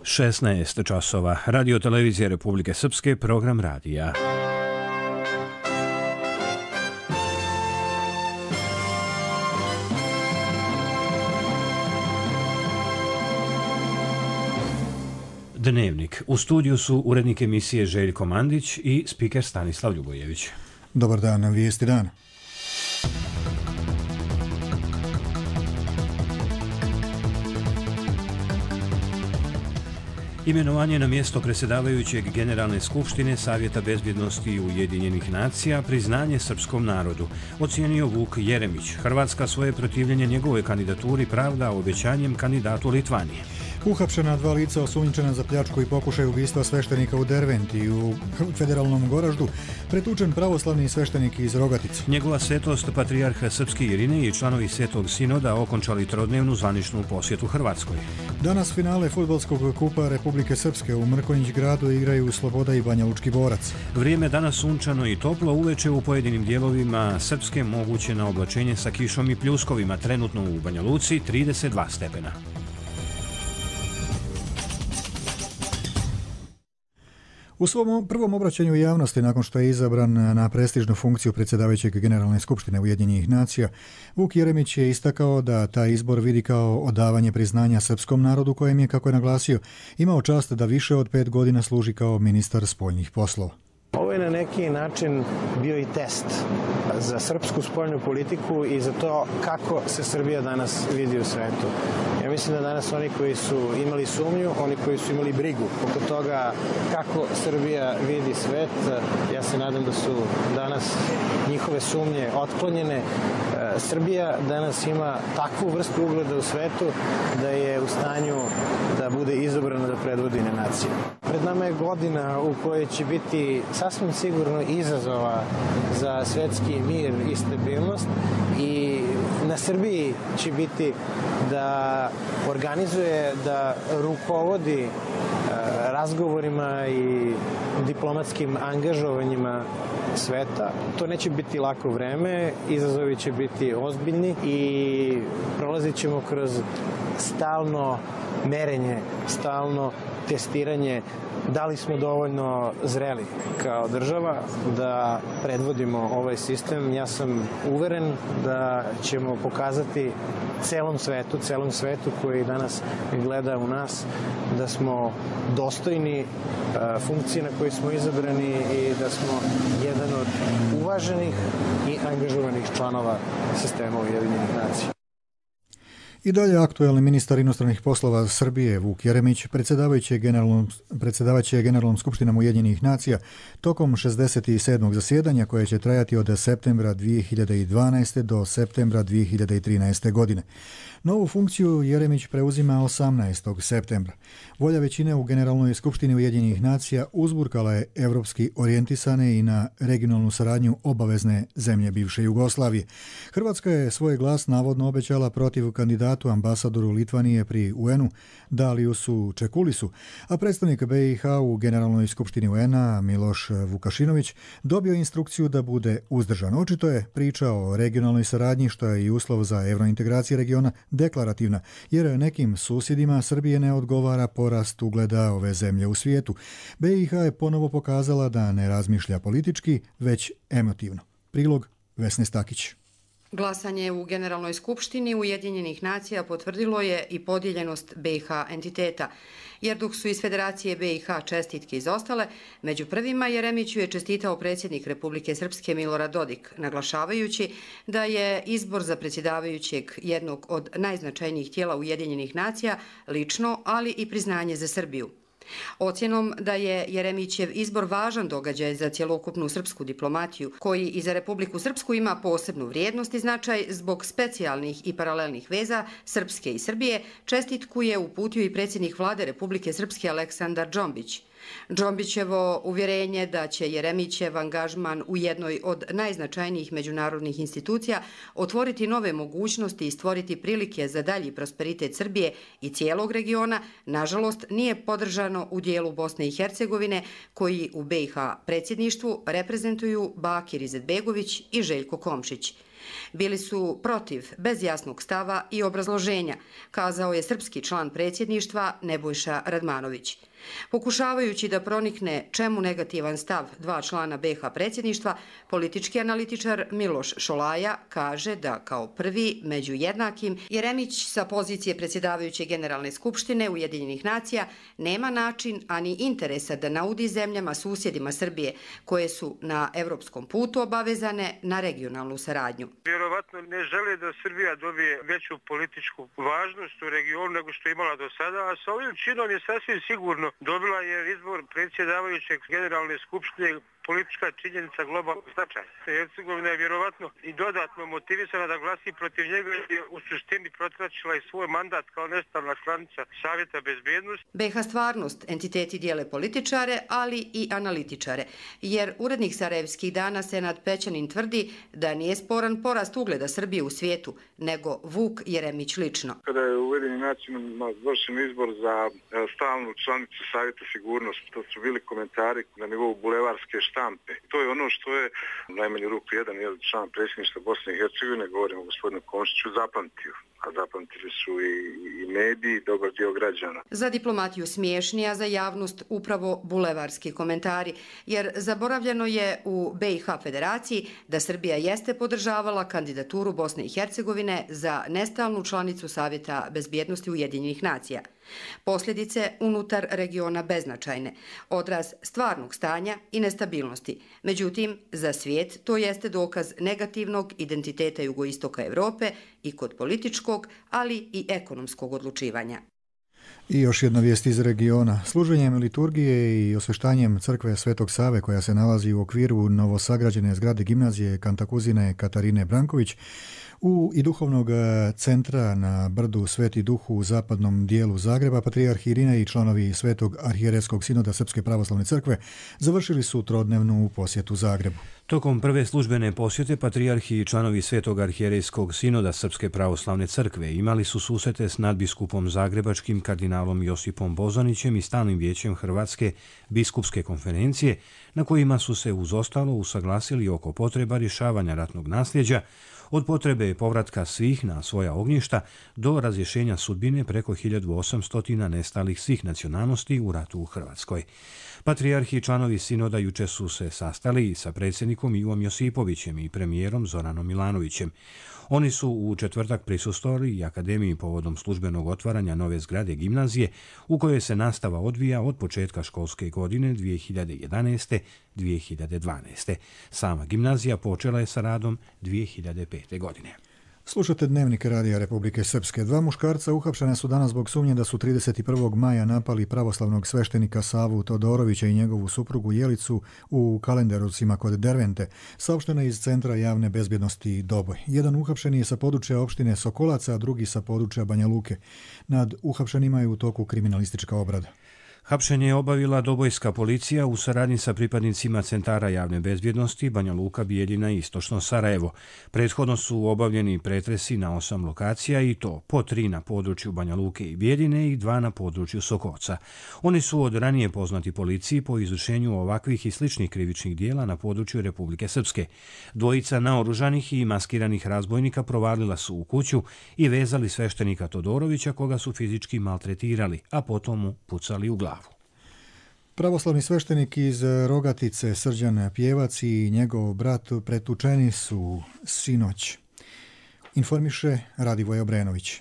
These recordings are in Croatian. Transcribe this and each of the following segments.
16 časova. Radio televizije Republike Srpske, program radija. Dnevnik. U studiju su urednik emisije Željko Mandić i spiker Stanislav Ljubojević. Dobar dan, vijesti dana. Imenovanje na mjesto predsjedavajućeg Generalne skupštine Savjeta bezbjednosti Ujedinjenih nacija, priznanje srpskom narodu, ocijenio Vuk Jeremić. Hrvatska svoje protivljenje njegovoj kandidaturi pravda obećanjem kandidatu Litvanije. Uhapšena 2 lica osumnjičena za pljačku i pokušaj ubistva sveštenika u Derventi u federalnom Goraždu, pretučen pravoslavni sveštenik iz Rogatice. Njegova svetost patrijarh Srpski Irinej i članovi Svetog sinoda okončali trodnevnu zvaničnu posjetu Hrvatskoj. Danas finale fudbalskog kupa Republike Srpske u Mrkonjić gradu igraju Sloboda i Banja Lučki borac. Vrijeme danas sunčano i toplo, uveče u pojedinim dijelovima Srpske moguće na oblačenje sa kišom i pljuskovima, trenutno u Banja Luci 32 stepena. U svom prvom obraćanju javnosti nakon što je izabran na prestižnu funkciju predsjedavajućeg Generalne skupštine Ujedinjenih nacija, Vuk Jeremić je istakao da taj izbor vidi kao odavanje priznanja srpskom narodu kojem je, kako je naglasio, imao čast da više od 5 godina služi kao ministar spoljnih poslova. Ovo je na neki način bio i test za srpsku spoljnu politiku i za to kako se Srbija danas vidi u svetu. Ja mislim da danas oni koji su imali sumnju, oni koji su imali brigu oko toga kako Srbija vidi svet, ja se nadam da su danas njihove sumnje otklonjene. Srbija danas ima takvu vrstu ugleda u svetu da je u stanju da bude izabrana da predvodi nacije. Pred nama je godina u kojoj će biti sasvim sigurno izazova za svetski mir i stabilnost i na Srbiji će biti da organizuje, da rukovodi razgovorima i diplomatskim angažovanjima sveta. To neće biti lako vreme, izazovi će biti ozbiljni i prolazit ćemo kroz stalno merenje, stalno testiranje da li smo dovoljno zreli kao država da predvodimo ovaj sistem. Ja sam uveren da ćemo pokazati celom svetu koji danas gleda u nas, da smo dostojni funkcije na koje smo izabrani i da smo jedan od uvaženih i angažovanih članova sistema Ujedinjenih nacija. I dalje aktuelni ministar inostranih poslova Srbije Vuk Jeremić predsjedavaće Generalnom skupštinom Ujedinjenih nacija tokom 67. zasjedanja koje će trajati od septembra 2012. do septembra 2013. godine. Novu funkciju Jeremić preuzima 18. septembra. Volja većine u Generalnoj skupštini Ujedinjenih nacija uzburkala je evropski orijentisane i na regionalnu saradnju obavezne zemlje bivše Jugoslavije. Hrvatska je svoj glas navodno obećala protiv kandidatu ambasadoru Litvanije pri UN-u Daliusu Čekulisu, a predstavnik BiH u Generalnoj skupštini UN-a Miloš Vukašinović dobio instrukciju da bude uzdržan. Očito je priča o regionalnoj saradnji, što je i uslov za evrointegracije regiona, deklarativna, jer nekim susjedima Srbije ne odgovara porast ugleda ove zemlje u svijetu. BiH je ponovo pokazala da ne razmišlja politički, već emotivno. Prilog Vesne Stakić. Glasanje u Generalnoj skupštini Ujedinjenih nacija potvrdilo je i podijeljenost BiH entiteta, jer dok su iz Federacije BiH čestitke izostale, među prvima Jeremiću je čestitao predsjednik Republike Srpske Milorad Dodik, naglašavajući da je izbor za predsjedavajućeg jednog od najznačajnijih tijela Ujedinjenih nacija lično, ali i priznanje za Srbiju. Ocjenom da je Jeremićev izbor važan događaj za cjelokupnu srpsku diplomatiju, koji i za Republiku Srpsku ima posebnu vrijednost i značaj zbog specijalnih i paralelnih veza Srpske i Srbije, čestitku je uputio i predsjednik vlade Republike Srpske Aleksandar Džombić. Džombićevo uvjerenje da će Jeremićev angažman u jednoj od najznačajnijih međunarodnih institucija otvoriti nove mogućnosti i stvoriti prilike za dalji prosperitet Srbije i cijelog regiona, nažalost nije podržano u dijelu Bosne i Hercegovine, koji u BiH predsjedništvu reprezentuju Bakir Izetbegović i Željko Komšić. Bili su protiv, bez jasnog stava i obrazloženja, kazao je srpski član predsjedništva Nebojša Radmanović. Pokušavajući da pronikne čemu negativan stav dva člana BiH predsjedništva, politički analitičar Miloš Šolaja kaže da kao prvi među jednakim Jeremić sa pozicije predsjedavajuće Generalne skupštine Ujedinjenih nacija nema način ani interesa da naudi zemljama susjedima Srbije koje su na evropskom putu obavezane na regionalnu saradnju. Vjerovatno ne žele da Srbija dobije veću političku važnost u regionu nego što je imala do sada, a sa ovim činom je sasvim sigurno dobila je izbor predsjedavajućeg Generalne skupštine politička činjenica globalnog značaja. Hercegovina je vjerovatno i dodatno motivisana da glasi protiv njega i u suštini protračila i svoj mandat kao nestalna članica Savjeta bezbjednosti. BiH stvarnost entiteti dijele političare, ali i analitičare, jer urednik Sarajevskih dana Senad Pećanin tvrdi da nije sporan porast ugleda Srbije u svijetu, nego Vuk Jeremić lično. Kada je u Ujedinjenim nacijama vršen izbor za stalnu članicu Savjeta sigurnosti, to su bili komentari na nivou bulevarske štampe. To je ono što je u najmanju ruku jedan član predsjedništva Bosne i Hercegovine, govorimo o gospodinu Komšiću, zapamtio. A zapamtili su i mediji, dobar dio građana. Za diplomatiju smiješni, a za javnost upravo bulevarski komentari, jer zaboravljeno je u BiH federaciji da Srbija jeste podržavala kandidaturu Bosne i Hercegovine za nestalnu članicu Savjeta bezbjednosti Ujedinjenih nacija. Posljedice unutar regiona beznačajne, odraz stvarnog stanja i nestabilnosti. Međutim, za svijet to jeste dokaz negativnog identiteta jugoistoka Evrope i kod političkog, ali i ekonomskog odlučivanja. I još jedna vijest iz regiona. Služenjem liturgije i osveštanjem crkve Svetog Save, koja se nalazi u okviru novosagrađene zgrade gimnazije Kantakuzine Katarine Branković, i duhovnog centra na brdu Sveti Duh u zapadnom dijelu Zagreba, patrijarh Irina i članovi Svetog arhijerejskog sinoda Srpske pravoslavne crkve završili su trodnevnu posjetu Zagrebu. Tokom prve službene posjete patrijarhi i članovi Svetog arhijerejskog sinoda Srpske pravoslavne crkve imali su susrete s nadbiskupom zagrebačkim kardinalom Josipom Bozanićem i stalnim vijećem Hrvatske biskupske konferencije, na kojima su se uz ostalo usaglasili oko potreba rješavanja ratnog nasljeđa, od potrebe povratka svih na svoja ognjišta do razrješenja sudbine preko 1800 nestalih svih nacionalnosti u ratu u Hrvatskoj. Patrijarhi i članovi sinoda juče su se sastali sa predsjednikom Ivom Josipovićem i premijerom Zoranom Milanovićem. Oni su u četvrtak prisustvovali i akademiji povodom službenog otvaranja nove zgrade gimnazije u kojoj se nastava odvija od početka školske godine 2011-2012. Sama gimnazija počela je sa radom 2005. godine. Slušate Dnevnik Radija Republike Srpske. Dva muškarca uhapšena su danas zbog sumnje da su 31. maja napali pravoslavnog sveštenika Savu Todorovića i njegovu suprugu Jelicu u Kalenderovcima kod Dervente, saopšteno iz Centra javne bezbjednosti Doboj. Jedan uhapšeni je sa područja opštine Sokolaca, a drugi sa područja Banja Luke. Nad uhapšenima je u toku kriminalistička obrada. Hapšenje je obavila dobojska policija u saradnji sa pripadnicima Centara javne bezbjednosti Banja Luka, Bijeljina i Istočno Sarajevo. Prethodno su obavljeni pretresi na 8 lokacija i to po 3 na području Banja Luke i Bijeljine i 2 na području Sokoca. Oni su od ranije poznati policiji po izvršenju ovakvih i sličnih krivičnih dijela na području Republike Srpske. Dvojica naoružanih i maskiranih razbojnika provalila su u kuću i vezali sveštenika Todorovića, koga su fizički maltretirali, a potom mu pucali u glavu. Pravoslavni sveštenik iz Rogatice Srđan Pjevac i njegov brat pretučeni su sinoć. Informiše Radivoj Obrenović.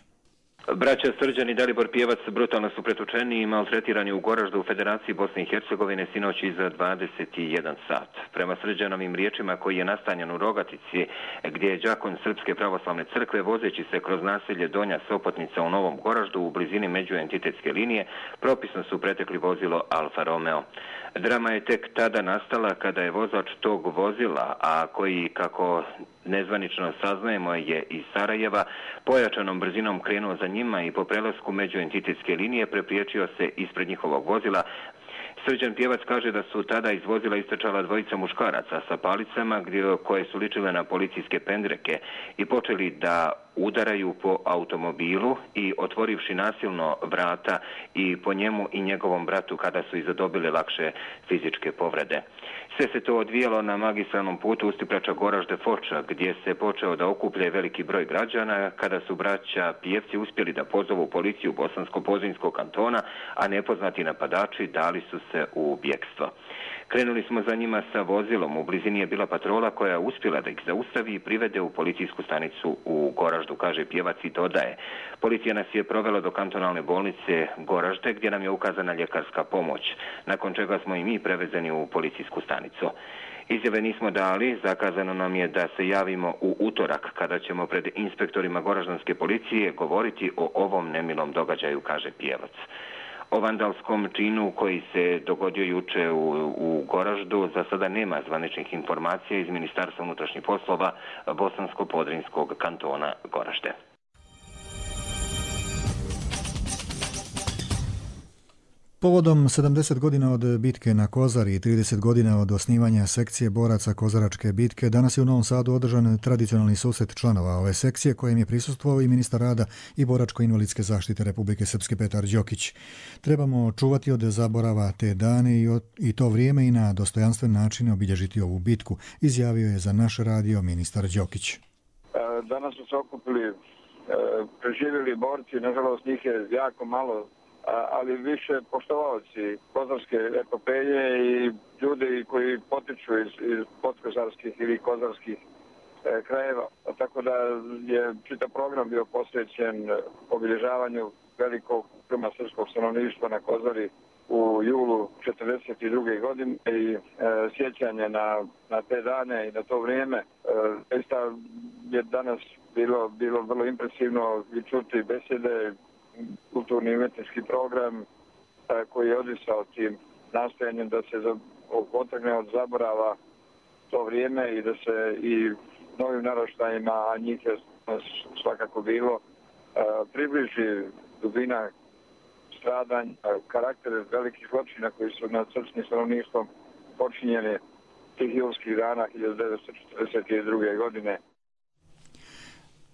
Braća Srđan i Dalibor Pjevac brutalno su pretučeni i maltretirani u Goraždu u Federaciji Bosne i Hercegovine sinoć iza 21 sat. Prema Srđanovim riječima, koji je nastanjen u Rogatici, gdje je đakon Srpske pravoslavne crkve, vozeći se kroz naselje Donja Sopotnica u Novom Goraždu u blizini međuentitetske linije, propisno su pretekli vozilo Alfa Romeo. Drama je tek tada nastala kada je vozač tog vozila, a koji, kako nezvanično saznajemo, je iz Sarajeva, pojačanom brzinom krenuo za njima i po prelasku međuentitetske linije prepriječio se ispred njihovog vozila. Srđan Pjevac kaže da su tada iz vozila istrčala dvojica muškaraca sa palicama koje su ličile na policijske pendreke i počeli da udaraju po automobilu i otvorivši nasilno vrata i po njemu i njegovom bratu kada su i zadobili lakše fizičke povrede. Sve se to odvijalo na magistralnom putu Ustiprača-Goražde-Foča, gdje se počeo da okuplja veliki broj građana kada su braća Pijevci uspjeli da pozovu policiju Bosansko-Podrinjskog kantona, a nepoznati napadači dali su se u bjekstvo. Krenuli smo za njima sa vozilom, u blizini je bila patrola koja je uspjela da ih zaustavi i privede u policijsku stanicu u Goraždu, kaže Pjevac i dodaje. Policija nas je provela do kantonalne bolnice Goražde gdje nam je ukazana ljekarska pomoć, nakon čega smo i mi prevezeni u policijsku stanicu. Izjave nismo dali, zakazano nam je da se javimo u utorak kada ćemo pred inspektorima goraždanske policije govoriti o ovom nemilom događaju, kaže Pjevac. O vandalskom činu koji se dogodio juče u Goraždu za sada nema zvaničnih informacija iz Ministarstva unutrašnjih poslova Bosansko-Podrinjskog kantona Goražde. Povodom 70 godina od bitke na Kozari i 30 godina od osnivanja sekcije boraca Kozaračke bitke, danas je u Novom Sadu održan tradicionalni susret članova ove sekcije kojem je prisustvovao i ministar rada i boračko-invalidske zaštite Republike Srpske Petar Đokić. Trebamo čuvati od zaborava te dane i to vrijeme i na dostojanstven način obilježiti ovu bitku, izjavio je za naš radio ministar Đokić. Danas su se okupili preživjeli borci, nažalost njih je jako malo, ali više poštovaoci kozarske epopeje i ljudi koji potiču iz podkozarskih ili kozarskih krajeva. Tako da je čitav program bio posvećen obilježavanju velikog krma srpskog stanovništva na Kozari u julu 1942. godine i sjećanje na te dane i na to vrijeme. Zaista je danas bilo vrlo impresivno i čuti besede, kulturni i umetnički program koji je odisao tim nastojanjem da se otrgne od zaborava to vrijeme i da se i novim naraštajima, a njih je svakako bilo, približi dubina stradanja, karaktere velikih zločina koji su nad srpskim stanovništvom počinjeni tih julskih dana 1942. godine.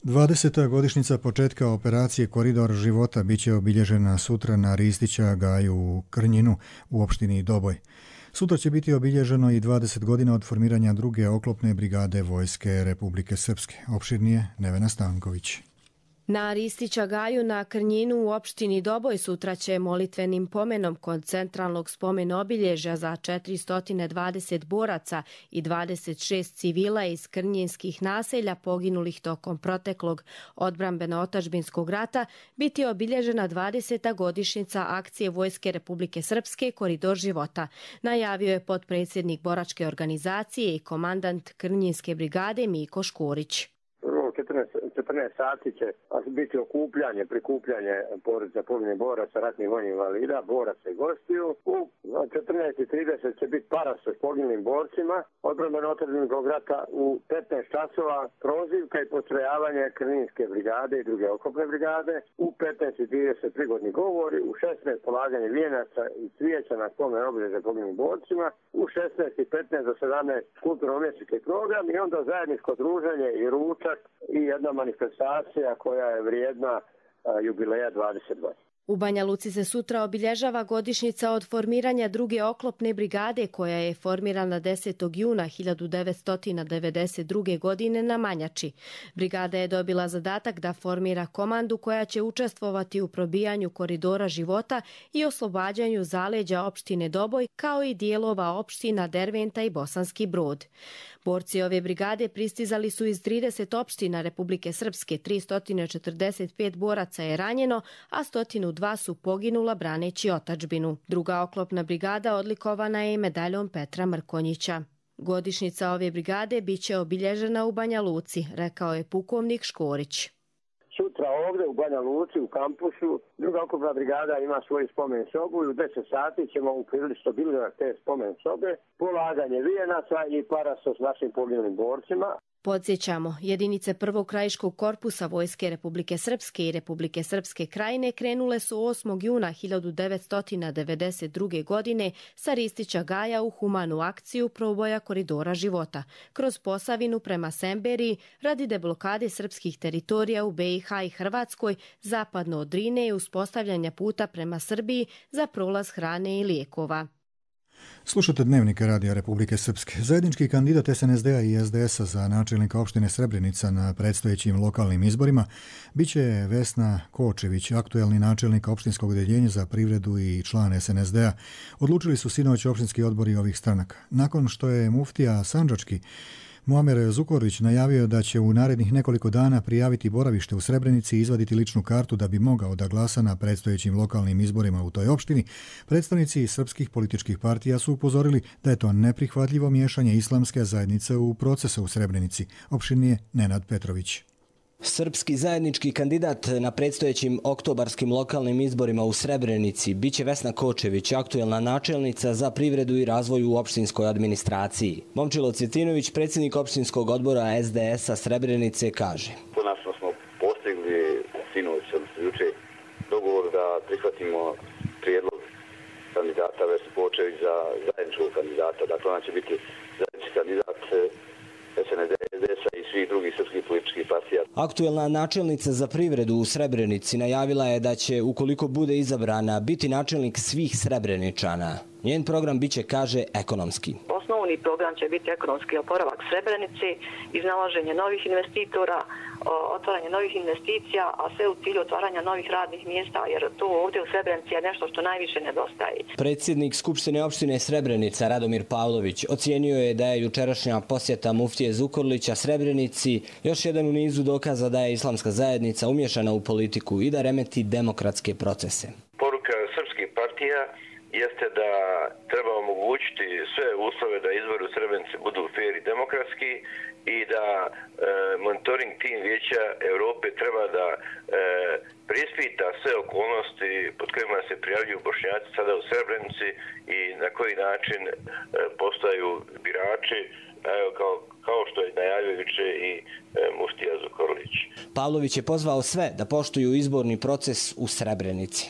20. godišnjica početka operacije Koridor života biće obilježena sutra na Ristića gaju u Krnjinu u opštini Doboj. Sutra će biti obilježeno i 20 godina od formiranja druge oklopne brigade Vojske Republike Srpske. Opširnije Nevena Stanković. Na Ristića gaju na Krnjinu u opštini Doboj sutra će molitvenim pomenom kod centralnog spomen obilježja za 420 boraca i 26 civila iz krnjinskih naselja poginulih tokom proteklog odbrambeno-otačbinskog rata biti obilježena 20. godišnjica akcije Vojske Republike Srpske Koridor života, najavio je potpredsjednik boračke organizacije i komandant Krnjinske brigade Miko Škorić. 14 sati će biti okupljanje, prikupljanje porodica poginulih boraca, ratnih vojnih invalida, boraca i gostiju. U 14:30 će biti para sa poginulim borcima odbrambeno-otačbinskog rata. U 15 časova prozivka i postrojavanje Krnjinske brigade i druge oklopne brigade. U 15:30 prigodni govori, u 16 polaganje vijenaca i cvijeća na spomen obilježja poginulim borcima, u 16:15 do 17 kulturno-umjetnički program i onda zajedničko druženje i ručak i jedna manifestacija koja je vrijedna jubileja 20 godina. U Banja Luci se sutra obilježava godišnjica od formiranja druge oklopne brigade koja je formirana 10. juna 1992. godine na Manjači. Brigada je dobila zadatak da formira komandu koja će učestvovati u probijanju koridora života i oslobađanju zaleđa opštine Doboj kao i dijelova opština Derventa i Bosanski Brod. Borci ove brigade pristizali su iz 30 opština Republike Srpske, 345 boraca je ranjeno, a 102 su poginula braneći otadžbinu. Druga oklopna brigada odlikovana je medaljom Petra Mrkonjića. Godišnjica ove brigade biće obilježena u Banja Luci, rekao je pukovnik Škorić. Sutra ovdje u Banja Luci, u kampusu, Druga oklopna brigada ima svoju spomen sobu i u 10 sati ćemo uprilično bilježiti te spomen sobe, polaganje vijenaca i parasos s našim poginulim borcima. Podsjećamo, jedinice prvog krajiškog korpusa Vojske Republike Srpske i Republike Srpske Krajine krenule su 8. juna 1992. godine sa Ristića Gaja u humanu akciju proboja koridora života kroz Posavinu prema Semberiji radi deblokade srpskih teritorija u BiH i Hrvatskoj zapadno od Drine i uspostavljanja puta prema Srbiji za prolaz hrane i lijekova. Slušate Dnevnika Radija Republike Srpske. Zajednički kandidat SNSD-a i SDS-a za načelnika opštine Srebrenica na predstojećim lokalnim izborima biće Vesna Kočević, aktuelni načelnik opštinskog odeljenja za privredu i član SNSD-a. Odlučili su sinoć opštinski odbori ovih stranaka. Nakon što je muftija sandžački Muamer Zukorlić najavio da će u narednih nekoliko dana prijaviti boravište u Srebrenici i izvaditi ličnu kartu da bi mogao da glasa na predstojećim lokalnim izborima u toj opštini, predstavnici srpskih političkih partija su upozorili da je to neprihvatljivo miješanje islamske zajednice u procese u Srebrenici, opštinije Nenad Petrović. Srpski zajednički kandidat na predstojećim oktobarskim lokalnim izborima u Srebrenici biće Vesna Kočević, aktuelna načelnica za privredu i razvoj u opštinskoj administraciji. Momčilo Cvjetinović, predsjednik opštinskog odbora SDS-a Srebrenice, kaže: Konačno smo postigli sinoć, odnosno juče, dogovor da prihvatimo prijedlog kandidata Vesne Kočević za zajedničkog kandidata. Dakle, ona će biti zajednički kandidat SNSD-a i svih drugih srpskih političkih partija. Aktuelna načelnica za privredu u Srebrenici najavila je da će, ukoliko bude izabrana, biti načelnik svih Srebreničana. Njen program biće, kaže, ekonomski. Osnovni program će biti ekonomski oporavak Srebrenici, iznalaženje novih investitora, otvaranje novih investicija, a sve u cilju otvaranja novih radnih mjesta, jer to ovdje u Srebrenici je nešto što najviše nedostaje. Predsjednik Skupštine opštine Srebrenica Radomir Pavlović ocijenio je da je jučerašnja posjeta muftije Zukorlića Srebrenici još jedan u nizu dokaza da je islamska zajednica umješana u politiku i da remeti demokratske procese. Poruka srpskih partija jeste da treba omogućiti sve uslove da izbori u Srebrenici budu fair i demokratski i da monitoring tim Vijeća Europe treba da preispita sve okolnosti pod kojima se prijavljuju Bošnjaci sada u Srebrenici i na koji način postaju birači, kao što je najavio juče i muftija Zukorlić. Pavlović je pozvao sve da poštuju izborni proces u Srebrenici.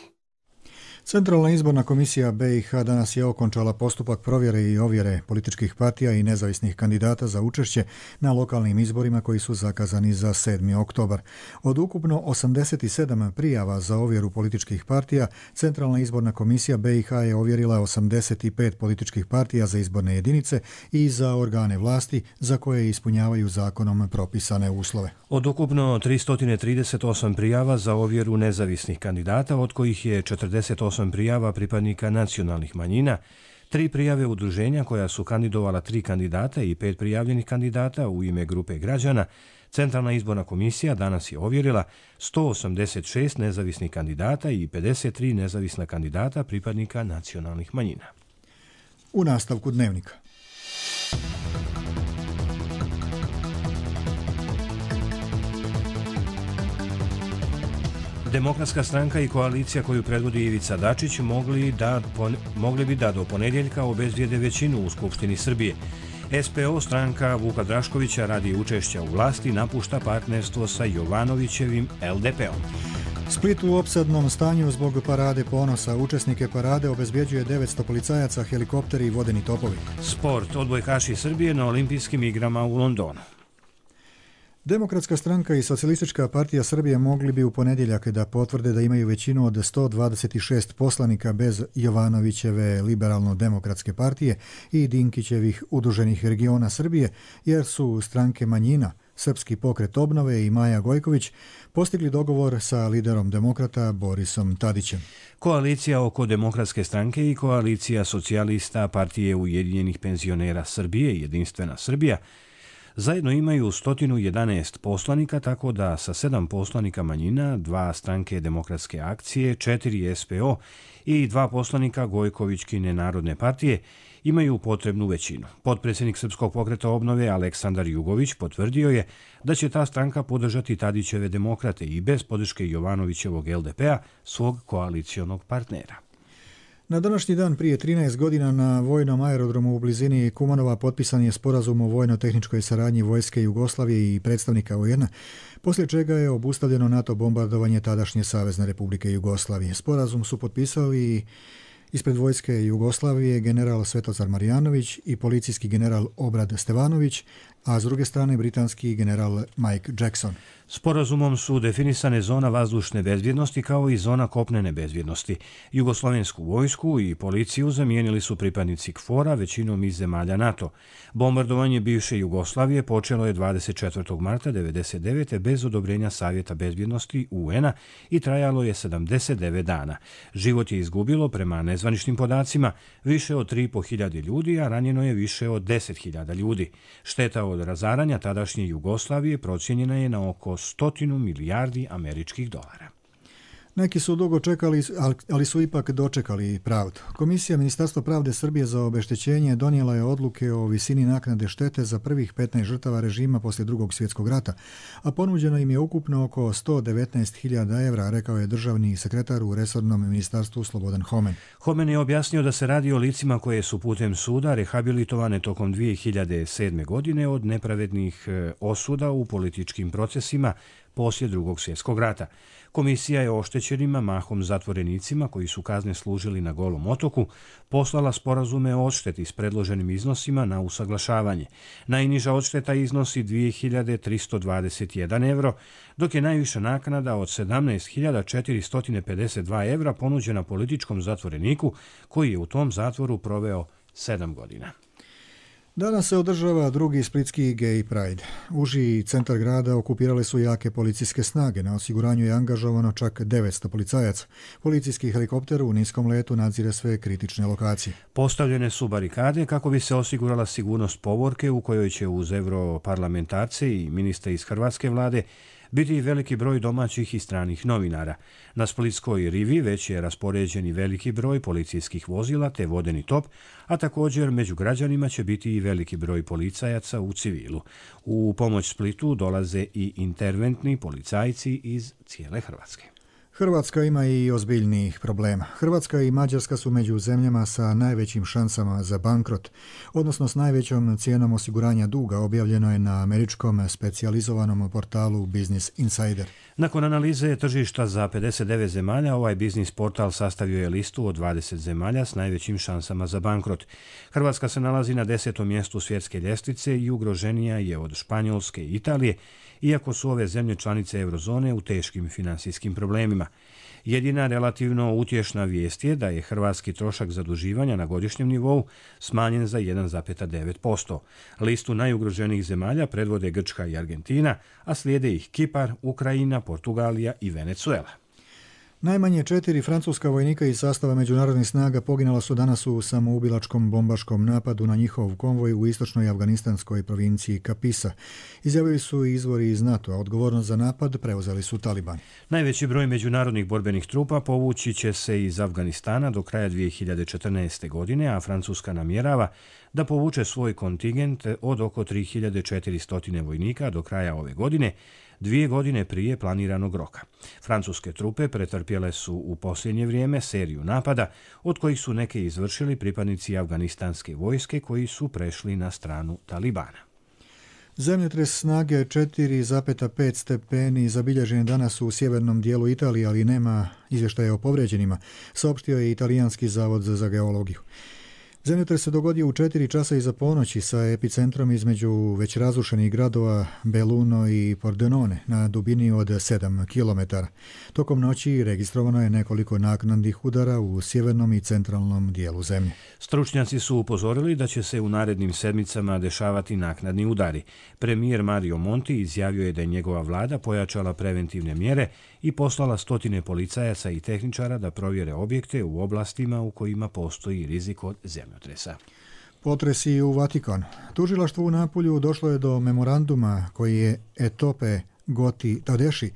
Centralna izborna komisija BiH danas je okončala postupak provjere i ovjere političkih partija i nezavisnih kandidata za učešće na lokalnim izborima koji su zakazani za 7. oktobar. Od ukupno 87 prijava za ovjeru političkih partija, Centralna izborna komisija BiH je ovjerila 85 političkih partija za izborne jedinice i za organe vlasti za koje ispunjavaju zakonom propisane uslove. Od ukupno 338 prijava za ovjeru nezavisnih kandidata, od kojih je 48 prijava pripadnika nacionalnih manjina, 3 prijave udruženja koja su kandidovala 3 kandidata i 5 prijavljenih kandidata u ime grupe građana, Centralna izborna komisija danas je ovjerila 186 nezavisnih kandidata i 53 nezavisna kandidata pripadnika nacionalnih manjina. U nastavku Dnevnika. Demokratska stranka i koalicija koju predvodi Ivica Dačić mogli bi da do ponedjeljka obezbijede većinu u Skupštini Srbije. SPO, stranka Vuka Draškovića, radi učešća u vlasti napušta partnerstvo sa Jovanovićevim LDP-om. Split u opsadnom stanju zbog parade ponosa. Učesnike parade obezbjeđuje 900 policajaca, helikopteri i vodeni topovi. Sport, odbojkaši Srbije na olimpijskim igrama u Londonu. Demokratska stranka i Socijalistička partija Srbije mogli bi u ponedjeljak da potvrde da imaju većinu od 126 poslanika bez Jovanovićeve liberalno-demokratske partije i Dinkićevih udruženih regiona Srbije, jer su stranke manjina, Srpski pokret obnove i Maja Gojković postigli dogovor sa liderom demokrata Borisom Tadićem. Koalicija oko Demokratske stranke i koalicija socijalista partije Ujedinjenih penzionera Srbije, Jedinstvena Srbija, Zajedno imaju 111 poslanika, tako da sa 7 poslanika manjina, 2 stranke demokratske akcije, 4 SPO i 2 poslanika Gojkovićkine narodne partije imaju potrebnu većinu. Potpredsjednik Srpskog pokreta obnove Aleksandar Jugović potvrdio je da će ta stranka podržati Tadićeve demokrate i bez podrške Jovanovićevog LDP-a, svog koalicijonog partnera. Na današnji dan prije 13 godina na vojnom aerodromu u blizini Kumanova potpisan je sporazum o vojno-tehničkoj saradnji vojske Jugoslavije i predstavnika UN-a, poslije čega je obustavljeno NATO bombardovanje tadašnje Savezne Republike Jugoslavije. Sporazum su potpisali ispred vojske Jugoslavije general Svetozar Marjanović i policijski general Obrad Stevanović, a s druge strane britanski general Mike Jackson. Sporazumom su definisane zona vazdušne bezbjednosti kao i zona kopnene bezbjednosti. Jugoslovensku vojsku i policiju zamijenili su pripadnici KFOR-a, većinom iz zemalja NATO. Bombardovanje bivše Jugoslavije počelo je 24. marta 1999. bez odobrenja Savjeta bezbjednosti UN-a i trajalo je 79 dana. Život je izgubilo, prema nezvaničnim podacima, više od 3.500 ljudi, a ranjeno je više od 10.000 ljudi. Šteta od razaranja tadašnje Jugoslavije procijenjena je na oko 100 milijardi američkih dolara. Neki su dugo čekali, ali su ipak dočekali pravdu. Komisija Ministarstva pravde Srbije za obeštećenje donijela je odluke o visini naknade štete za prvih 15 žrtava režima poslije Drugog svjetskog rata, a ponuđeno im je ukupno oko 119.000 evra, rekao je državni sekretar u resornom ministarstvu Slobodan Homen. Homen je objasnio da se radi o licima koje su putem suda rehabilitovane tokom 2007. godine od nepravednih osuda u političkim procesima poslije Drugog svjetskog rata. Komisija je oštećenima, mahom zatvorenicima koji su kazne služili na Golom otoku, poslala sporazume o odšteti s predloženim iznosima na usaglašavanje. Najniža odšteta iznosi 2.321 evro, dok je najviša naknada od 17.452 evra ponuđena političkom zatvoreniku koji je u tom zatvoru proveo 7 godina. Danas se održava drugi splitski Gay Pride. Uži centar grada okupirale su jake policijske snage. Na osiguranju je angažovano čak 900 policajaca. Policijski helikopter u niskom letu nadzire sve kritične lokacije. Postavljene su barikade kako bi se osigurala sigurnost povorke u kojoj će uz europarlamentarce i ministre iz hrvatske vlade biti veliki broj domaćih i stranih novinara. Na Splitskoj rivi već je raspoređen i veliki broj policijskih vozila te vodeni top, a također među građanima će biti i veliki broj policajaca u civilu. U pomoć Splitu dolaze i interventni policajci iz cijele Hrvatske. Hrvatska ima i ozbiljnijih problema. Hrvatska i Mađarska su među zemljama sa najvećim šansama za bankrot, odnosno s najvećom cijenom osiguranja duga, objavljeno je na američkom specijalizovanom portalu Business Insider. Nakon analize tržišta za 59 zemalja, ovaj biznis portal sastavio je listu od 20 zemalja s najvećim šansama za bankrot. Hrvatska se nalazi na 10. mjestu svjetske ljestvice i ugroženija je od Španjolske i Italije, iako su ove zemlje članice eurozone u teškim finansijskim problemima. Jedina relativno utješna vijest je da je hrvatski trošak zaduživanja na godišnjem nivou smanjen za 1,9%. Listu najugroženijih zemalja predvode Grčka i Argentina, a slijede ih Kipar, Ukrajina, Portugalija i Venezuela. Najmanje 4 francuska vojnika iz sastava međunarodnih snaga poginula su danas u samoubilačkom bombaškom napadu na njihov konvoj u istočnoj afganistanskoj provinciji Kapisa. Izjavili su izvori iz NATO, a odgovornost za napad preuzeli su Talibani. Najveći broj međunarodnih borbenih trupa povući će se iz Afganistana do kraja 2014. godine, a Francuska namjerava da povuče svoj kontingent od oko 3400 vojnika do kraja ove godine, 2 godine prije planiranog roka. Francuske trupe pretrpjele su u posljednje vrijeme seriju napada, od kojih su neke izvršili pripadnici afganistanske vojske koji su prešli na stranu Talibana. Zemljotres snage 4,5 stepeni zabilježen je danas u sjevernom dijelu Italije, ali nema izvještaja o povrijeđenima, saopštio je Italijanski zavod za geologiju. Zemljotres se dogodio u 4 časa iza ponoći sa epicentrom između već razrušenih gradova Belluno i Pordenone na dubini od 7 km. Tokom noći registrovano je nekoliko naknadnih udara u sjevernom i centralnom dijelu zemlje. Stručnjaci su upozorili da će se u narednim sedmicama dešavati naknadni udari. Premijer Mario Monti izjavio je da je njegova vlada pojačala preventivne mjere i poslala 100 policajaca i tehničara da provjere objekte u oblastima u kojima postoji rizik od zemljotresa. Potresi u Vatikanu. Tužilaštvu u Napulju došlo je do memoranduma koji je Etope Goti Tadeši,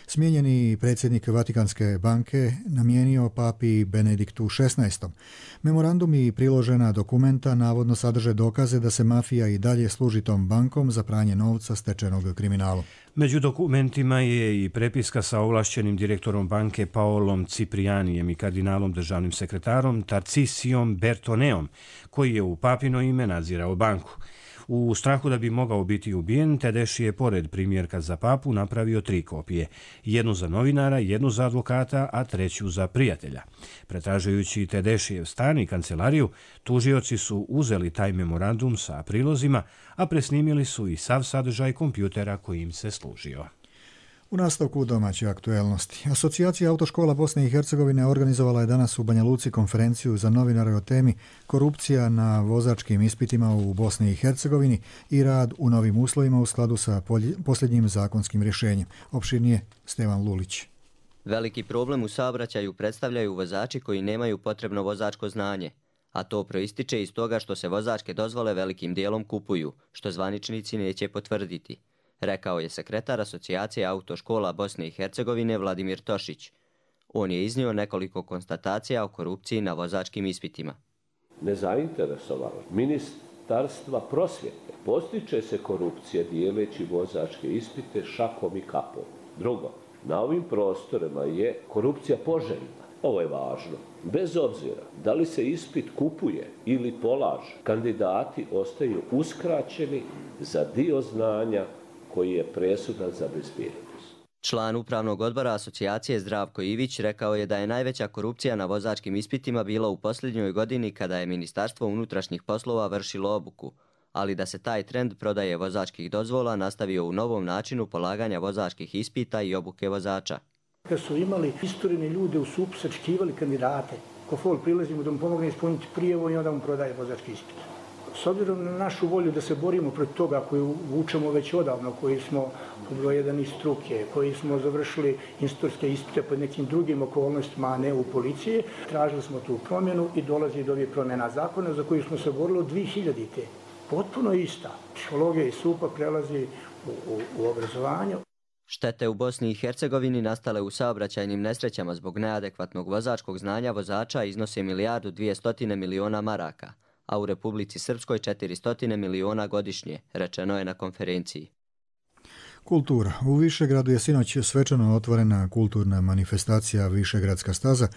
smijenjeni predsjednik Vatikanske banke, namijenio papi Benediktu XVI. Memorandum i priložena dokumenta navodno sadrže dokaze da se mafija i dalje služi tom bankom za pranje novca stečenog kriminalu. Među dokumentima je i prepiska sa ovlašćenim direktorom banke Paolom Ciprijanijem i kardinalom državnim sekretarom Tarcisijom Bertoneom, koji je u papino ime nadzirao banku. U strahu da bi mogao biti ubijen, Tedeši je pored primjerka za papu napravio 3 kopije. Jednu za novinara, jednu za advokata, a 3 za prijatelja. Pretražujući Tedešijev stan i kancelariju, tužioci su uzeli taj memorandum sa prilozima, a presnimili su i sav sadržaj kompjutera kojim se služio. U nastavku domaće aktuelnosti. Asocijacija autoškola Bosne i Hercegovine organizovala je danas u Banja Luci konferenciju za novinare o temi korupcija na vozačkim ispitima u Bosni i Hercegovini i rad u novim uslovima u skladu sa posljednjim zakonskim rješenjem. Opširnije Stevan Lulić. Veliki problem u saobraćaju predstavljaju vozači koji nemaju potrebno vozačko znanje, a to proističe iz toga što se vozačke dozvole velikim dijelom kupuju, što zvaničnici neće potvrditi, rekao je sekretar Asocijacije autoškola Bosne i Hercegovine Vladimir Tošić. On je iznio nekoliko konstatacija o korupciji na vozačkim ispitima. Nezainteresovanost Ministarstva prosvjete postiče se korupcija dijeleći vozačke ispite šakom i kapom. Drugo, na ovim prostorima je korupcija poželjna. Ovo je važno. Bez obzira da li se ispit kupuje ili polaže, kandidati ostaju uskraćeni za dio znanja koji je presudan za bezbjednost. Član upravnog odbora asocijacije Zdravko Ivić rekao je da je najveća korupcija na vozačkim ispitima bila u posljednjoj godini kada je Ministarstvo unutrašnjih poslova vršilo obuku, ali da se taj trend prodaje vozačkih dozvola nastavio u novom načinu polaganja vozačkih ispita i obuke vozača. Kad su imali isturene ljude u SUP, sačekivali kandidate, ko fol prilazimo da mu pomogne ispuniti prijevo i onda mu prodaje vozački ispit. S obzirom na našu volju da se borimo protiv toga koju vučemo već odavno, koji smo broj jedan iz struke, koji smo završili institutske ispite pod nekim drugim okolnostima, a ne u policiji, tražili smo tu promjenu i dolazi do ovih promjena zakona za koju smo se borili od 2000-te. Potpuno ista. Psihologija iz SUP-a prelazi u obrazovanju. Štete u Bosni i Hercegovini nastale u saobraćajnim nesrećama zbog neadekvatnog vozačkog znanja vozača iznose 1.200 miliona maraka, a u Republici Srpskoj 400 miliona godišnje, rečeno je na konferenciji. Kultura. U Višegradu je sinoć svečano otvorena kulturna manifestacija Višegradska staza,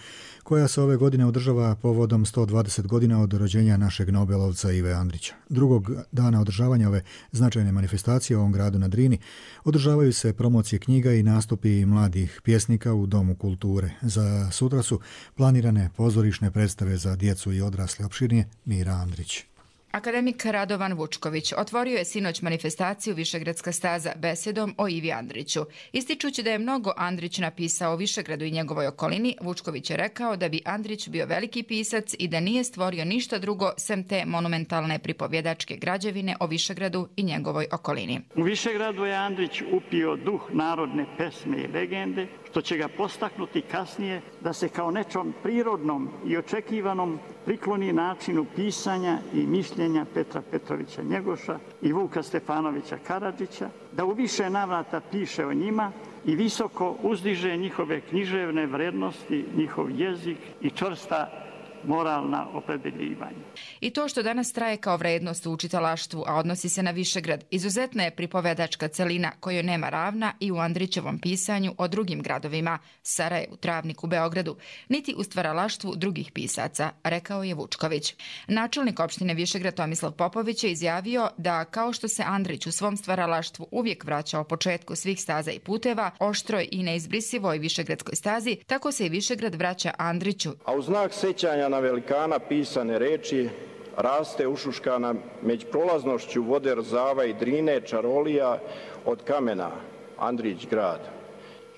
koja se ove godine održava povodom 120 godina od rođenja našeg Nobelovca Ive Andrića. Drugog dana održavanja ove značajne manifestacije u ovom gradu na Drini održavaju se promocije knjiga i nastupi mladih pjesnika u Domu kulture. Za sutra su planirane pozorišne predstave za djecu i odrasle. Opširnije Mira Andrić. Akademik Radovan Vučković otvorio je sinoć manifestaciju Višegradska staza besedom o Ivi Andriću. Ističući da je mnogo Andrić napisao o Višegradu i njegovoj okolini, Vučković je rekao da bi Andrić bio veliki pisac i da nije stvorio ništa drugo sem te monumentalne pripovjedačke građevine o Višegradu i njegovoj okolini. U Višegradu je Andrić upio duh narodne pesme i legende, što će ga postaknuti kasnije da se kao nečom prirodnom i očekivanom prikloni načinu pisanja i mišljenja Petra Petrovića Njegoša i Vuka Stefanovića Karadžića, da u više navrata piše o njima i visoko uzdiže njihove književne vrednosti, njihov jezik i čvrsta moralna opredeljivanja. I to što danas traje kao vrednost u učitalaštvu, a odnosi se na Višegrad, izuzetna je pripovedačka celina kojoj nema ravna i u Andrićevom pisanju o drugim gradovima, Sarajevu, Travniku, Beogradu, niti u stvaralaštvu drugih pisaca, rekao je Vučković. Načelnik opštine Višegrad Tomislav Popović je izjavio da kao što se Andrić u svom stvaralaštvu uvijek vraćao početku svih staza i puteva, oštroj i neizbrisivoj Višegradskoj stazi, tako se i Višegrad vraća Andriću. A u znak sećanja na velikana pisane reči raste ušuškana među prolaznošću vode Rzava i Drine čarolija od kamena, Andrić grad.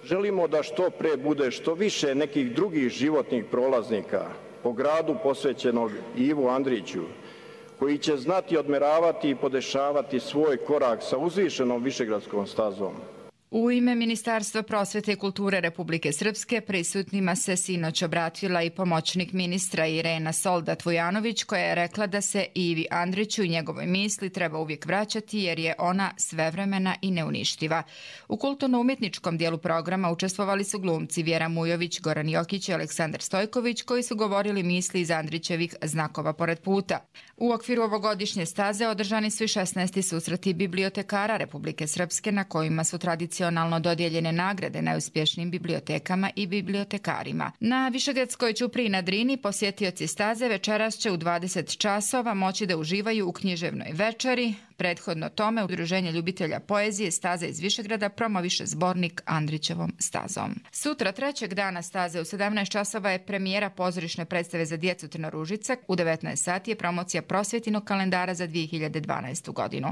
Želimo da što pre bude što više nekih drugih životnih prolaznika po gradu posvećenog Ivu Andriću, koji će znati odmeravati i podešavati svoj korak sa uzvišenom Višegradskom stazom. U ime Ministarstva prosvete i kulture Republike Srpske prisutnima se sinoć obratila i pomoćnik ministra Irena Soldat-Vujanović, koja je rekla da se Ivi Andriću i njegovoj misli treba uvijek vraćati jer je ona svevremena i neuništiva. U kulturno-umjetničkom dijelu programa učestvovali su glumci Vjera Mujović, Goran Jokić i Aleksandar Stojković, koji su govorili misli iz Andrićevih Znakova pored puta. U okviru ovogodišnje staze održani su i 16. susreti bibliotekara Republike Srpske, na kojima su tradicionalno dodijeljene nagrade najuspješnijim bibliotekama i bibliotekarima. Na Višegradskoj ćupriji na Drini posjetioci staze večeras će u 20 časova moći da uživaju u književnoj večeri. Prethodno tome Udruženje ljubitelja poezije Staza iz Višegrada promoviše zbornik Andrićevom stazom. Sutra, trećeg dana staze, u 17 časova je premijera pozorišne predstave za djecu Trnoružica. U 19 sati je promocija prosvjetinog kalendara za 2012. godinu.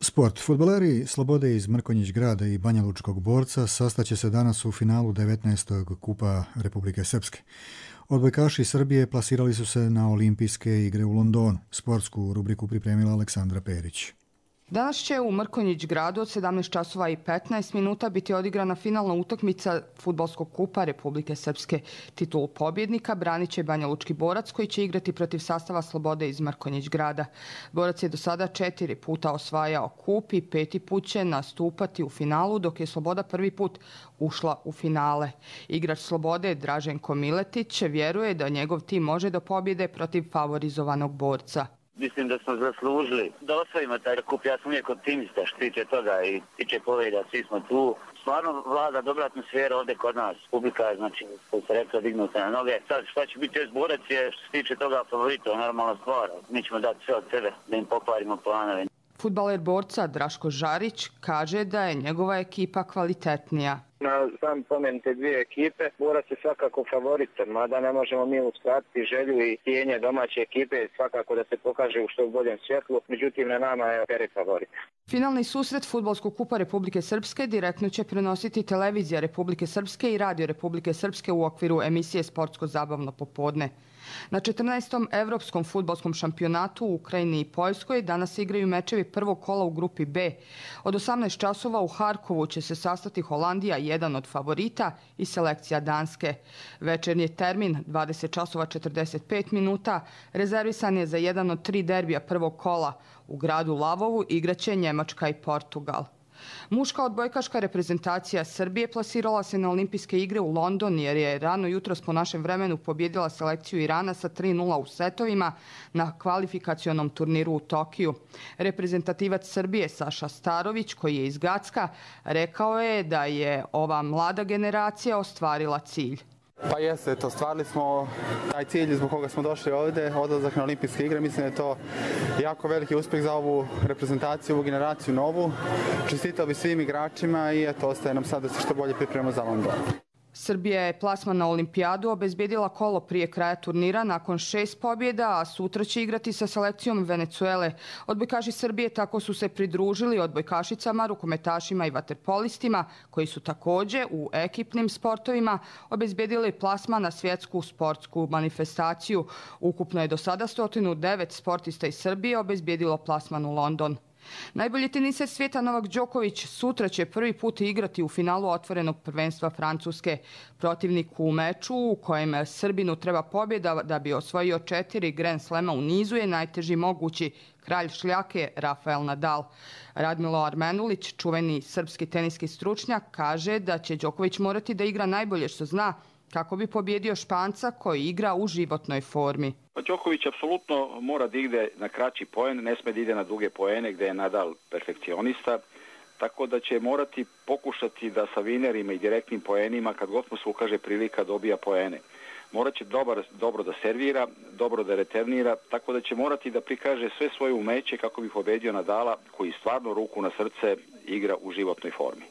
Sport. Fudbaleri Slobode iz Mrkonjić Grada i Banja Lučkog Borca sastaće se danas u finalu 19. kupa Republike Srpske. Odbojkaši Srbije plasirali su se na olimpijske igre u Londonu. Sportsku rubriku pripremila Aleksandra Perić. Danas će u Mrkonjić Gradu od 17 časova i 15 minuta biti odigrana finalna utakmica Fudbalskog kupa Republike Srpske. Titulu pobjednika branit će Banja Lučki Borac, koji će igrati protiv sastava Slobode iz Mrkonjić Grada. Borac je do sada 4 puta osvajao kup i 5. put će nastupati u finalu, dok je Sloboda prvi put ušla u finale. Igrač Slobode Draženko Miletić vjeruje da njegov tim može do pobjede protiv favorizovanog Borca. Mislim da smo zaslužili da osvojimo taj kup. Ja sam uvijek optimista što tiče toga i tiče pobjeda, svi smo tu. Stvarno vlada dobra atmosfera ovdje kod nas. Publika je, znači, koji se rekla, dignuta na noge. Sad šta će biti još Borac je što se tiče toga favorita, normalna stvar. Mi ćemo dati sve od sebe da im pokvarimo planove. Fudbaler Borca Draško Žarić kaže da je njegova ekipa kvalitetnija. Na sam pomenute dvije ekipe, Borac je svakako favorit, mada ne možemo mi uskratiti želju i tijenje domaće ekipe, svakako da se pokaže u što boljem svjetlu, međutim na nama je Peri favorit. Finalni susret Fudbalskog kupa Republike Srpske direktno će prenositi Televizija Republike Srpske i Radio Republike Srpske u okviru emisije Sportsko-zabavno popodne. Na 14. Evropskom fudbalskom šampionatu u Ukrajini i Poljskoj danas igraju mečevi prvog kola u grupi B. Od 18 časova u Harkovu će se sastati Holandija, jedan od favorita, i selekcija Danske. Večernji termin 20 časova 45 minuta rezervisan je za jedan od 3 derbija prvog kola. U gradu Lavovu igraće Njemačka i Portugal. Muška odbojkaška reprezentacija Srbije plasirala se na olimpijske igre u London jer je rano jutros po našem vremenu pobjedila selekciju Irana sa 3:0 u setovima na kvalifikacionom turniru u Tokiju. Reprezentativac Srbije Saša Starović, koji je iz Gacka, rekao je da je ova mlada generacija ostvarila cilj. Pa jeste, ostvarili smo taj cilj zbog koga smo došli ovdje, odlazak na olimpijske igre. Mislim da je to jako veliki uspjeh za ovu reprezentaciju, ovu generaciju novu. Čestitao bi svim igračima i eto, ostaje nam sad da se što bolje pripremimo za London. Srbija je plasman na olimpijadu obezbjedila kolo prije kraja turnira nakon 6 pobjeda, a sutra će igrati sa selekcijom Venecuele. Odbojkaši Srbije tako su se pridružili odbojkašicama, rukometašima i vaterpolistima, koji su također u ekipnim sportovima obezbjedili plasman na svjetsku sportsku manifestaciju. Ukupno je do sada 109 sportista iz Srbije obezbjedilo plasman u London. Najbolji teniser svijeta Novak Đoković sutra će prvi put igrati u finalu otvorenog prvenstva Francuske. Protivnik u meču u kojem Srbinu treba pobjeda da bi osvojio 4 Grand Slema u nizu je najteži mogući, kralj šljake Rafael Nadal. Radmilo Armenulić, čuveni srpski teniski stručnjak, kaže da će Đoković morati da igra najbolje što zna kako bi pobjedio Španca koji igra u životnoj formi. Đoković apsolutno mora da ide na kraći poen, ne sme da ide na duge poene gdje je Nadal perfekcionista, tako da će morati pokušati da sa vinerima i direktnim poenima, kad god mu se ukaže prilika, dobija poene. Morat će dobro da servira, dobro da reternira, tako da će morati da prikaže sve svoje umeće kako bi pobedio Nadala, koji stvarno ruku na srce igra u životnoj formi.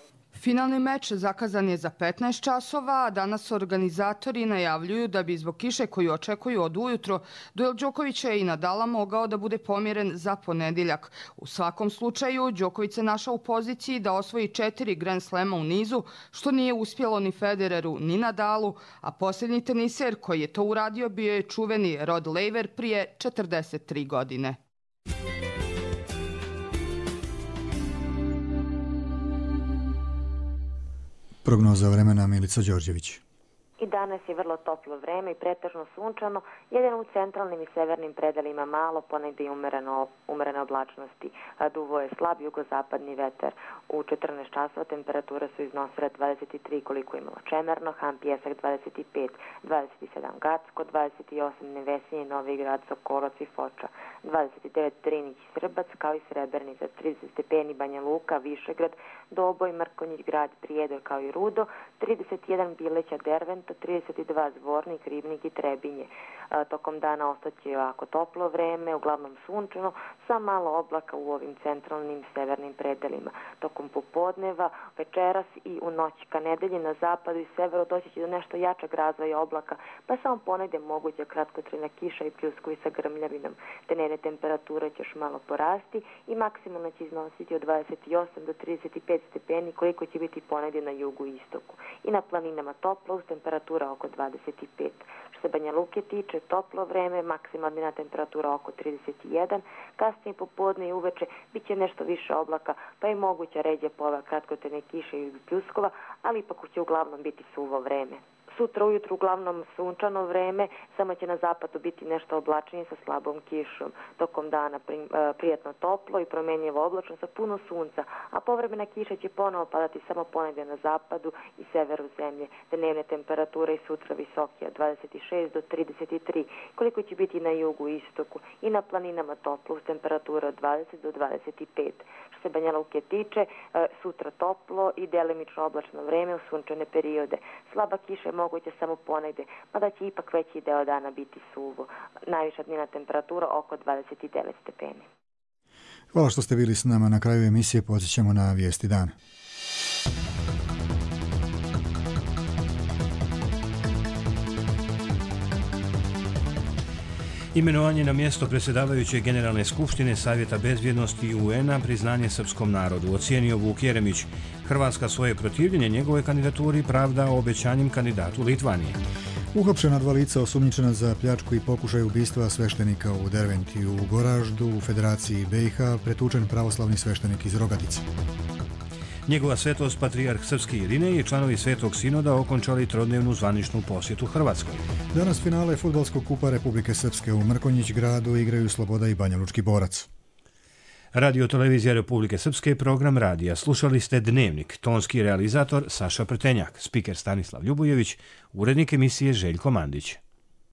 Finalni meč zakazan je za 15 časova, a danas organizatori najavljuju da bi zbog kiše koju očekuju od ujutro duel Đokovića i Nadala mogao da bude pomjeren za ponedjeljak. U svakom slučaju, Đoković se našao u poziciji da osvoji 4 Grand Slema u nizu, što nije uspjelo ni Federeru ni Nadalu, a posljednji teniser koji je to uradio bio je čuveni Rod Laver prije 43 godine. Prognoza vremena Milica Đorđević. I danas je vrlo toplo vreme i pretežno sunčano, jedino u centralnim i severnim predelima malo, ponegdje i umerene oblačnosti. Duvo je slab jugozapadni vetar. U 14 časova temperature su iznosile 23 koliko je imalo Čemerno, Han Pjesak 25, 27 Gacko, 28 Nevesinje, Novi Grad, Sokolac i Foča, 29 Drinić i Srbac, kao i Srebrenica, 30 stepeni Banja Luka, Višegrad, Doboj, Mrkonjić, Grad, Prijedor kao i Rudo, 31 Bileća, Derventa, 32 Zvornik, Ribnik i Trebinje. Tokom dana ostaće ovako toplo vreme, uglavnom sunčano, sa malo oblaka u ovim centralnim severnim predelima. Tokom popodneva, večeras i u noć ka nedelji na zapadu i severu doći će do nešto jačeg razvoja oblaka, pa samo ponegde moguća kratkotrajna kiša i pljuskovi sa grmljavinom. Dnevne temperature će još malo porasti i maksimalno će iznositi od 28 do 35 stepeni koliko će biti ponegde na jugu i istoku. I na planinama toplo uz temperatura oko 25. Što se Banja Luke tiče, toplo vreme, maksimalna temperatura oko 31, kasnije popodne i uveče bit će nešto više oblaka, pa je moguća ređa pojava kratkotrajne kiše i pljuskova, ali ipak će uglavnom biti suvo vreme. Sutra ujutru uglavnom sunčano vreme, samo će na zapadu biti nešto oblačnije sa slabom kišom. Tokom dana prijatno toplo i promjenjivo oblačno sa puno sunca, a povremena kiša će ponovo padati samo ponegdje na zapadu i severu zemlje. Dnevne temperature i sutra visoke od 26 do 33, koliko će biti na jugu i istoku i na planinama toplo uz temperature od 20 do 25. Što se Banja Luke tiče, sutra toplo i delimično oblačno vreme u sunčane periode. Slaba kiša je moguće samo ponegde, mada će ipak veći deo dana biti suvo. Najviša dnevna temperatura oko 29 stepeni. Hvala što ste bili s nama. Na kraju emisije podsjećamo na vijesti dana. Imenovanje na mjesto predsjedavajuće Generalne skupštine Savjeta bezbjednosti UN-a priznanje srpskom narodu, ocijenio Vuk Jeremić. Hrvatska svoje protivljenje njegove kandidaturi pravda obećanjem kandidatu Litvanije. Uhapšena 2 lica osumnjičena za pljačku i pokušaj ubistva sveštenika u Derventi u Goraždu u Federaciji BiH, pretučen pravoslavni sveštenik iz Rogatice. Njegova svetost patrijarh Srpski Irinej i članovi Svetog sinoda okončali trodnevnu zvaničnu posjetu Hrvatskoj. Danas finale Fudbalskog kupa Republike Srpske u Mrkonjić Gradu igraju Sloboda i Banjalučki Borac. Radio televizija Republike Srpske, program radija. Slušali ste Dnevnik, tonski realizator Saša Prtenjak, spiker Stanislav Ljubojević, urednik emisije Željko Mandić.